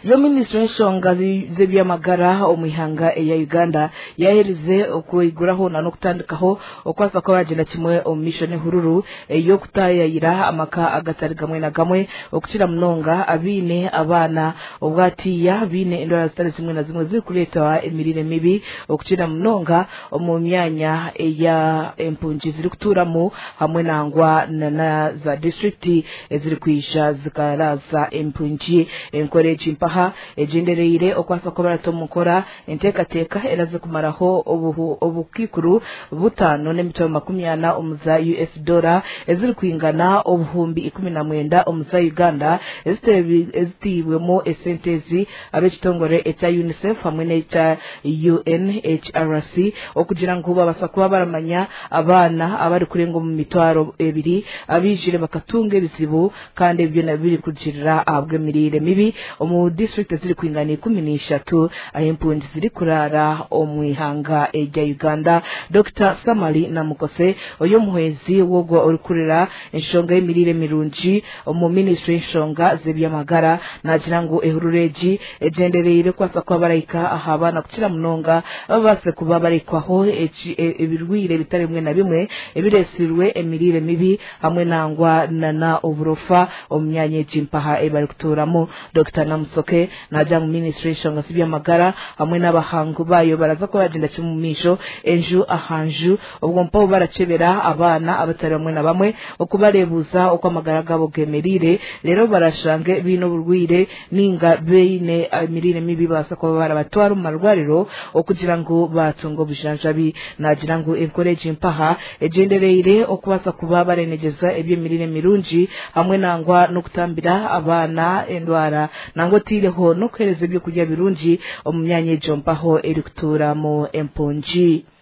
Yo minisitule y'enshonga z'ebyamagara omu ihanga erya Uganda yaherize okwiguraho na n'okutandikaho okubaasa kuba bagyenda kimwe omu maisho n'ehururu ey'okutaayayira amaka agatari gamwe na gamwe okukira munonga abaine abaana obwatiiya baine endwara zitari zimwe na zimwe zirikureetwa emirire mibi okukira munonga omu myanya eya empungi zirikutuuramu hamwe nangwa na za disiturikiti ezirikwija zikaraaza empungi. Enkora egi mpaha egyendereire okubaasa kuba barata omu nkora enteekateeka eraze kumaraho obukaikuru butaano n'emitwaro 40 omu za US doora ezirikwingana obuhumbi 19 omu za Uganda eziteibwemu esente ezi ab'ekitongore ekya UNICEF hamwe n'ekya UNHRC okugira ngu babaasa kuba baramanya abaana abarikurenga omu 2000 abaijire bakatunga ebizibu kandi ebyo byona birikugirira ahabw'emirire mibi omu disiturikiti ezirikwingana 13 ahu empungi zirikuraara omu ihanga erya Uganda. Dokita Samali Namukose ori omuhwezi w'ogwo orikurira enshonga y'emirire mirungi omu minisitule y'enshonga z'eby'amagara naagira ngu ehururu egi egyendereire kubaasa kuba barahika aha baana kukira munonga babaase kuba barahikwaho ebirwaire bitari bimwe na bimwe ebireetsirwe emirire mibi hamwe nangwa nana oburofa omu myanya egi mpaha ei barikutuuramu. Dokita Namusoke naagira ngu minisitule y'enshonga z'eby'amagara hamwe n'abahangu baayo baraza kuba bagyenda kimwe omu maisho enju aha nju obwo mpaho barakyebera abaana abatari bamwe na bamwe okubareebuuza oku amagara gaabo gemereire reero barashange baine oburwaire ninga baine emirire mibi babaasa kuba barabatwara omu marwariro okugira ngu baatunga obujanjabi. Naagira ngu enkora egi mpaha egyendereire okubaasa kuba barenegyeza eby'emirire mirungi hamwe nangwa n'okutambira abaana endwara nangwa otaireho n'okuheereza ebyokurya birungi omu myanya egyo mpaho erikutuuramu empungi.